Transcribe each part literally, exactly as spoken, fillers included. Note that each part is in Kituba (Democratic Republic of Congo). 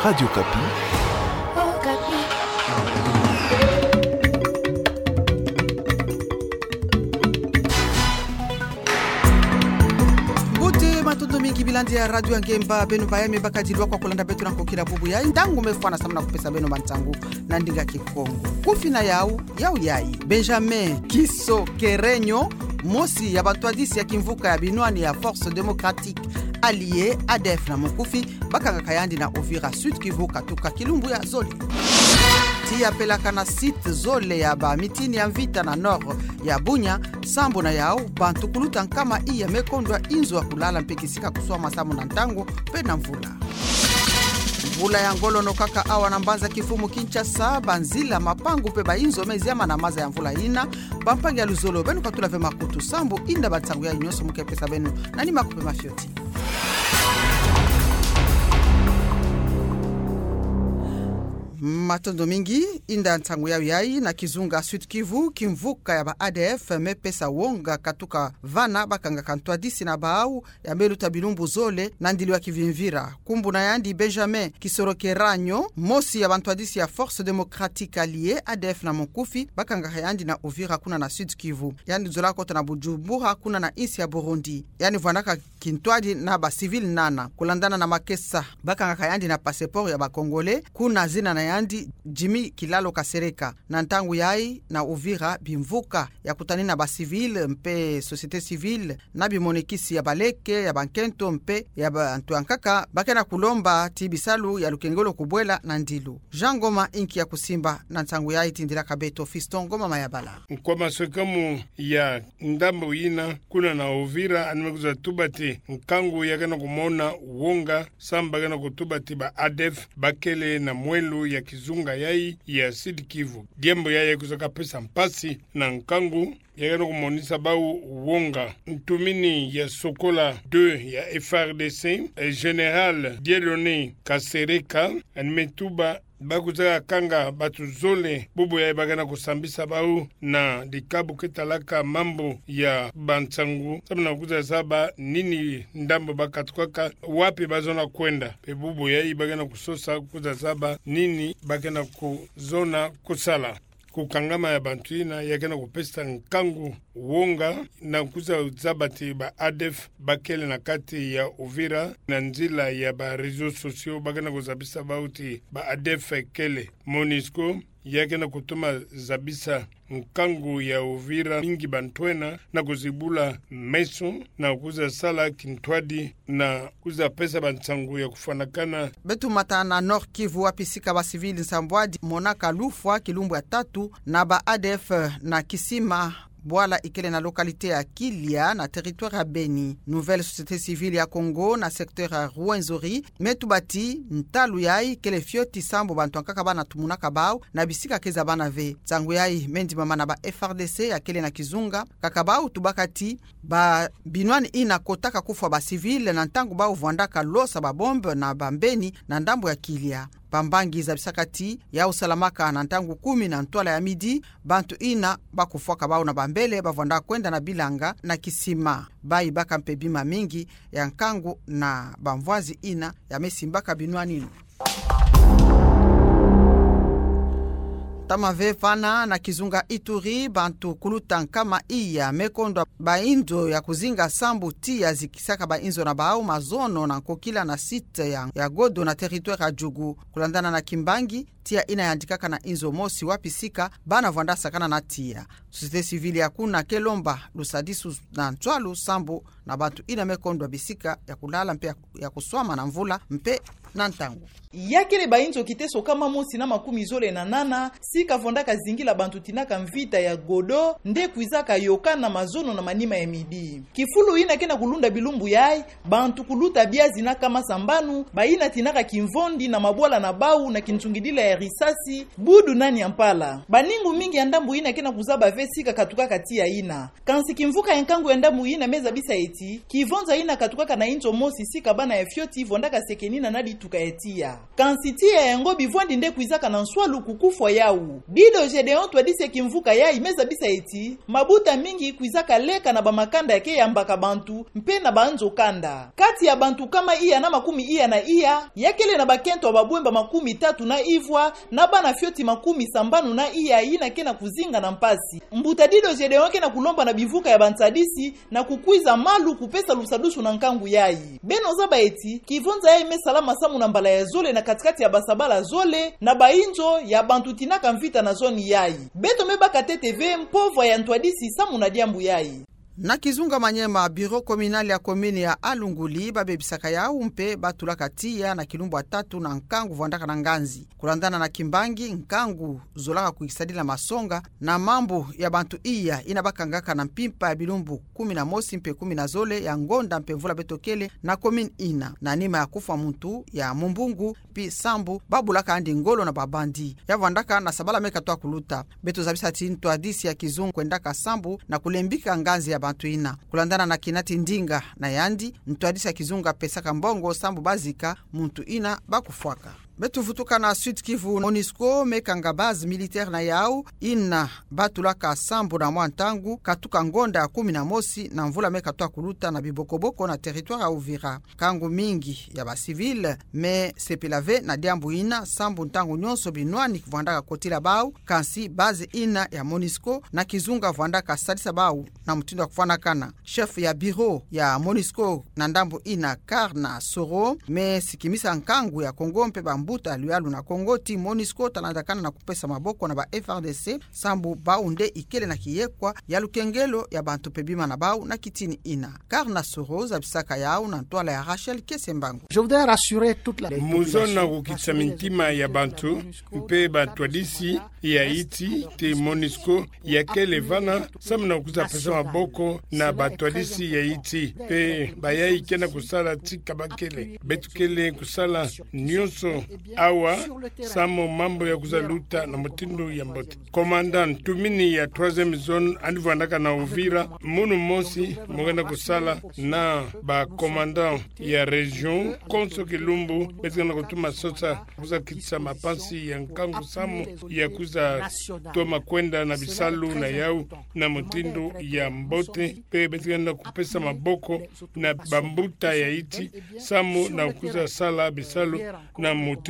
Radio Okapi. Mbote, matondo mingi bilandi ya Radio Ngemba, beno bayame bakadilwa kwa kulanda beto na nkokila bubu yayi. Ntangu me fwana samu na kupesa beno mantangu na ndinga Kikongo. Kufi na yau, yau yayi: Benjamin Kisokerenyo, mosi ya bantwadisi ya kimvuka ya binwani ya Force Démocratique Alliée, A D F na mukufi, bakangaka yandi na Uvira, Sud-Kivu, katuka kilumbu ya zole. Tiya pelaka na site zole ya bamitini ya mvita na nord ya Bunia, sambu na yau bantu kuluta nkama iya me kondwa inzo ya kulala mpe kisika kuswama samu na ntangu mpe na mvula. Mvula ya ngolo nokaka awa na mbanza kifumu Kinshasa, banzila, mapangu mpe bainzo me ziama na maza ya mvula yina. Bampangi ya luzolo, beno katula ve makutu sambu inda bantangu yayi nyonso mu ke pesa beno na nimaku mpe mafioti. Matondo mingi. Inda ntangu yau yayi, na kizunga Sud-Kivu, kimvuka ya ba A D F me pesa wonga katuka vana bakangaka ntwadisi na bau ya me luta bilumbu zole na ndilu ya kivimvira. Nkumbu na yandi Benjamin Kisokerenyo, mosi ya bantwadisi ya Force Démocratique Alliée, A D F na mukufi, bakangaka yandi na Uvira, kuna na Sud-Kivu. Yandi zola kota na Bujumbura, kuna na insi ya Burundi. Yandi vwandaka kintwadi na bacivil nana. Kulandana na makesa, bakangaka yandi na passeport ya ba Congolais, kuna zina na yandi Jimmy Kilalo Kasereka. Na ntangu yayi na Uvira, bimvuka ya kutanina bacivil mpe société civile na bimonekisi ya baleke, ya bankento mpe ya bantu ya nkaka, ba ke na kulomba ti bisalu ya lukengolo kubwela na ndilu. Jean Ngoma inki ya kusimba na ntangu yayi, tindilaka beto Fiston Ngoma Mayabala. Nkwa maswekamu ya ndambo yina kuna na Uvira, yandi me kwiza tuba ti nkangu ya ke na kumona wonga sambu ba ke na kutuba ti ba A D F bakele na mwelo ya kizunga yayi ya Sud-Kivu. Diambu yayi ya kwiza kapesa mpasi na nkangu ya ke na kumonisa bau wonga. Ntumini ya sokola deux ya F A R D C, eh, Général Dieudonné Kasereka, yandi me tuba ba kwiza kanga bantu zole bubu yayi ba ke na kusambisa bau na dikabu ke talaka mambu ya bansangu, samu na kwiza zaba nini ndambu ba katukaka, wapi ba zona kwenda. Mpe bubu yayi ba ke na kusosa kwiza zaba nini ba ke na kuzona kusala. Kukangama ya bantu yina ya ke na kupesa nkangu wonga na kwiza zaba ti ba A D F bakele na kati ya Uvira. Na nzila ya ba réseaux sociaux ba ke na kuzabisa bau ti ba A D F kele. MONUSCO ya ke na kutuma zabisa nkangu ya Uvira mingi bantwenia na kuzibula meso na kwiza sala kintwadi na kwiza pesa bansangu ya kufwanakana. Beto mata na Nord-Kivu, wapi sika bacivil nsambwadi monaka lufwa kilumbu ya tatu na ba A D F na kisima bwala ikele na localité ya Kilia na territoire ya Beni. Nouvelle Société Civile ya Congo na secteur ya Rwenzori me tuba ti ntalu yayi kele fioti sambu bantu ya nkaka ba na tumunaka bau na bisika ke zabana ve. Nsangu yayi me ndimama na ba F A R D C ya kele na kizunga, kaka bau tubaka ti ba binwani yina kotaka kufwa bacivil na ntangu bau vwandaka losa babombe na bambeni na ndambu ya Kilia. Bambangi zabisaka ti yau salamaka na ntangu kumi na ntwala ya midi, bantu yina ba kufwaka bau na bambele ba vwanda kwenda na bilanga na kisima. Bayi baka mpe bima mingi ya nkangu na bamvwazi yina ya me simbaka binwani yina. Ntama ve vana na kizunga Ituri, bantu kuluta nkama iya me kondwa bainzo ya kuzinga sambu tiya zikisaka bainzo na bau mazono na nkokila na site ya, ya Godo na territoire ya Djugu. Kulandana na kimbangi, tiya yina yandikaka na inzo mosi wapi sika bana vwanda sakana na tiya. Société civile ya kuna ke lomba lusadisu na nswalu sambu na bantu yina me kondwa bisika ya kulala mpe ya, ya kuswama na mvula mpe na ntangu. Ya kele bainzo kiteso kama mosi na makumi zole na nana, sika vwandaka zingila bantu tinaka mvita ya Godo, nde kwizaka yokana mazono na manima ya midi. Kifulu yina ke na kulunda bilumbu yayi, bantu kuluta biazi na kama sambanu, bayina tinaka kimvondi na mabwala na bau na kinsungidila ya risasi, budu na niampala. Baningu mingi ya ndambu ina ke na kuzaba ve sika katukaka tiya ina. Kansi kimvuka ya nkangu ya ndambu ina me zabisa eti, kivonza ina katukaka na inzo mosi sika bana ya fioti vwandaka sekenina na dituka ya tiya. Kansi tiya yango bivwandi nde kwizaka na nswalu ku kufwa yau. Dido Gedeon, ntwadisi ya kimvuka yayi, me zabisa eti, mabuta mingi kwizaka leka na bamakanda ya ke yambaka bantu, mpe na banzo kanda. Kati ya bantu nkama iya na makumi iya na iya, ya kele na bakento ya babwemba makumi tatu na ivwa, na bana fioti makumi sambanu na iya ina ke na kuzinga na mpasi. Mbuta Dido Gedeon ke na kulomba na bivuka ya bantwadisi na kukwiza malu kupesa lusadusu na nkangu yayi. Beno zaba eti, kivonza yayi me salama samu na mbala ya zole na katikati ya basabala zole, na bainzo ya bantu tinaka mvita na zone yayi. Beto me baka ntete ve mpova ya ntwadisi samu na diambu yayi. Na kizunga Maniema, bureau communal ya commune ya Alunguli, babebisaka yau mpe batulaka tiya na kilumbu ya tatu na nkangu vwandaka na nganzi. Kulandana na kimbangi, nkangu zolaka kwikisadila masonga na mambu ya bantu iya ina bakangaka na mpimpa ya bilumbu kumi na mosi mpe kumi na zole ya ngonda mpe mvula beto kele na commune ina, na nima ya kufwa muntu ya mumbungu, pi sambu babulaka andi ngolo na babandi. Ya vwandaka na sabala me katwa kuluta. Beto zabisa ti ntwadisi ya kizunga kwendaka sambu na kulembika nganzi ya bantu ina. Kulandana na Kinati Ndinga na yandi, ntwadisi ya kizunga pesaka mbongo sambu bazika muntu ina bakufwaka. Beto vutuka na Sud-Kivu. MONUSCO me kanga base militaire na yau ina batulaka sambu na mwa ntangu katuka ngonda ya kumi na mosi na mvula me katwa kuluta na bibokoboko na territoire ya Uvira. Nkangu mingi ya bacivil me sepela ve na diambu ina, sambu ntangu nyonso binwani vwandaka kotila bau, kansi base ina ya MONUSCO na kizunga vwandaka sadisa bau na mutindu ya kufwanakana. Chef ya bureau ya MONUSCO na ndambu ina, Karna Soro, me sikimisa nkangu ya Kongo mpe bambuta luyalu na Kongo ti MONUSCO talandakana na kupesa maboko na ba F A R D C, sambu bau nde ikele na kiyekwa ya lukengelo ya bantu mpe bima na bau na kitini ina. Karna Soro zabisaka yau na ntwala ya Rachel Kesembangu. Je voudrais rassurer toute la population. Mu zono na kukitisa mintima ya bantu mpe bantwadisi ya insi ti MONUSCO ya kele vana samu na kwiza pesa maboko na bantwadisi ya insi, mpe bayayi ke na kusala tika bakele. Beto kele kusala nyonso awa samu mambu ya kwiza luta na mutindu ya mbote. Commandant ntumini ya troisième zone yandi vwandaka na Uvira, munu mosi mu ke na kusala na ba commandant ya région, konso kilumbu beto ke na kutuma sosa kwiza kitisa mampasi ya nkangu samu ya kwiza toma kwenda na bisalu na yau na mutindu ya mbote, mpe beto ke na kupesa maboko na bambuta ya insi samu na kwiza sala bisalu na mutindu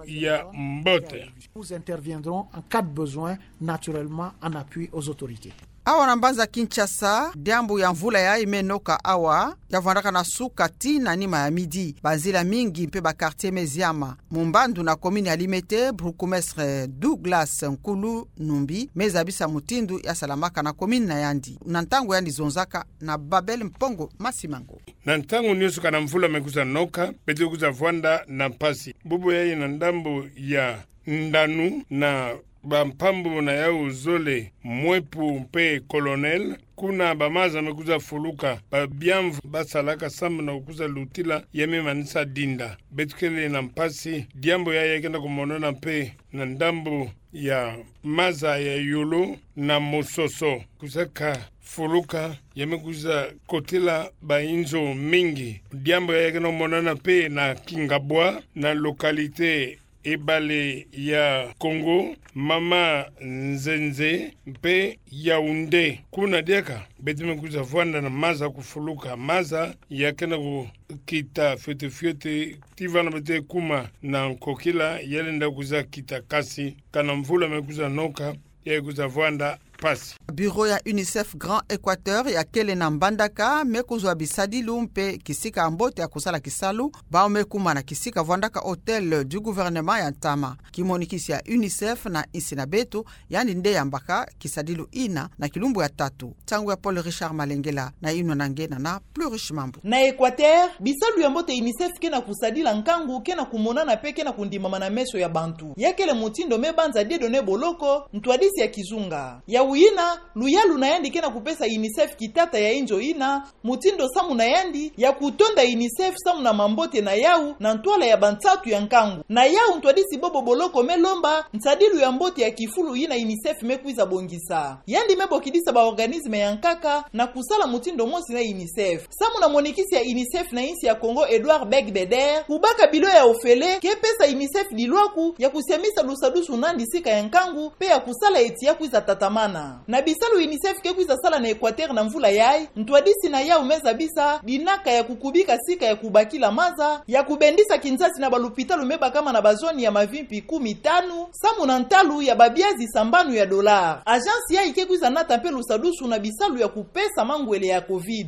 ya mbote. Nous interviendrons en cas de besoin, naturellement en appui aux autorités. Awa na mbanza Kinshasa, diambu ya mvula yayi me noka awa, ya vwandaka na suka tii na nima ya midi. Banzila mingi mpe ba quartier me ziama. Mumbandu na commune ya Limete, bourgmestre Douglas Nkulu Numbi me zabisa mutindu ya salamaka na commune na yandi na ntangu yandi zonzaka na Babel Mpongo Masimango. Na ntangu nyonso kana mvula me kwiza noka, beto kwiza vwanda na mpasi. Bubu yayi na ndambu ya Ndanu na bampambu na yau zole, Mwepu mpe Colonel, kuna bamaza me kwiza fuluka, babiamvu basalaka samu na kwiza lutila ya me manisa dinda. Beto kele na mpasi, diambu yayi ya ke na kumonana mpe na ndambu ya maza ya Yolo na Mososo. Kwizaka fuluka, ya me kwiza kotila bainzo mingi. Diambu yayi ya ke na kumonana mpe na Kingabwa, na localité ebale ya Kongo, Mama Nzenze mpe Yaoundé. Kuna diaka, beto me kwiza vwanda na maza kufuluka. Maza ya ke na kukita fioti fioti, tii vana beto kuma na nkokila, ya lenda kwiza kita kasi, kana mvula me kwiza noka, ya kwiza vwanda mpasi. Bureau ya UNICEF Grand Equateur ya kele na Mbandaka me kuzwa bisadilu mpe kisika ya mbote ya kusala kisalu, bau me kuma na kisika vwandaka Hôtel du Gouvernement ya ntama. Kimonikisi ya UNICEF na insi na beto, yandi nde yambaka kisadilu ina na kilumbu ya tatu. Nsangu ya Paul Richard Malengela, na inwa na nge na na Plurish Mambu. Na Equateur, bisalu ya mbote UNICEF ke na kusadila nkangu ke na kumonana mpe ke na kundimama na meso ya bantu. Ya kele mutindu me banza diedo ne boloko, ntwadisi ya kizunga. Ya Yina, luyalu na yandi ke na kupesa UNICEF kitata ya inzo yina, mutindu samu na yandi ya kutonda UNICEF samu na mambote na yau na ntwala ya bansatu ya nkangu. Na yau ntwadisi bobo boloko me lomba nsadilu ya mbote ya kifulu yina UNICEF me kwiza bongisa. Yandi me bokidisa ba organisme ya nkaka na kusala mutindu mosi na UNICEF. Samu na monikisi ya UNICEF na insi ya Congo, Edouard Beigbeder, kubaka bilo ya ofele ke pesa UNICEF dilwaku ya kusiamisa lusadusu nandi sika ya nkangu, mpe ya kusala eti ya kwiza tatamana. Na bisalu UNICEF ke kwiza sala na Equateur na mvula yayi, ntwadisi na yau me zabisa dinaka ya kukubika sika ya kubakila maza, ya kubendisa kinzasi na balupitalu me bakama na bazone ya mavimpi kumi tanu, samu na ntalu ya babiazi sambanu ya dollar. Agence yayi ke kwiza nata mpe lusadusu na bisalu ya kupesa mangwele ya covid.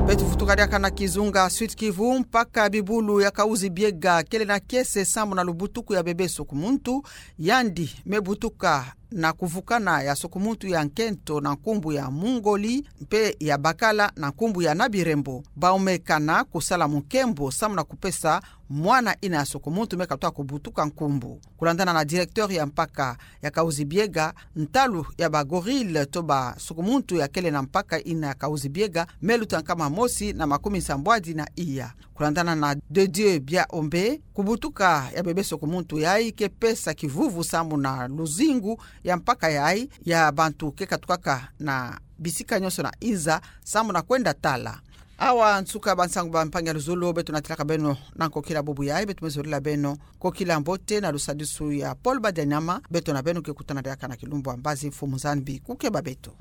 Beto vutuka diaka na kizunga Sud-Kivu, mpaka bibulu ya Kahuzi-Biega kele na kiese samu na lubutuku ya bebe soko-muntu. Yandi me butuka na kuvukana ya soko-muntu ya nkento na nkumbu ya Mungoli, mpe ya bakala na nkumbu ya Nabirembo. Bau me kana kusala mu nkembo samu na kupesa mwana ina ya soko-muntu me katuka kubutuka nkumbu. Kulandana na directeur ya mpaka ya Kahuzi-Biega, ntalu ya ba gorille to ba soko-muntu ya kele na mpaka ina ya Kahuzi-Biega me luta nkama mosi na makumi nsambwadi na iya. Kulandana na De Dieu Biaombe, kubutuka ya bebe soko-muntu yayi ke pesa kivuvu samu na luzingu ya mpaka yayi ya bantu ke katukaka na bisika nyonso na inza samu na kwenda tala. Awa nsuka bansangu ba mpangi ya luzolo, beto natilaka beno na nkokila bubu yayi, beto me zolila beno nkokila mbote na lusadusu ya Paul Badianyama. Beto na beno ke kutana diaka na kilumbu ya mbazi, Mfumu Nzambi kukeba beto.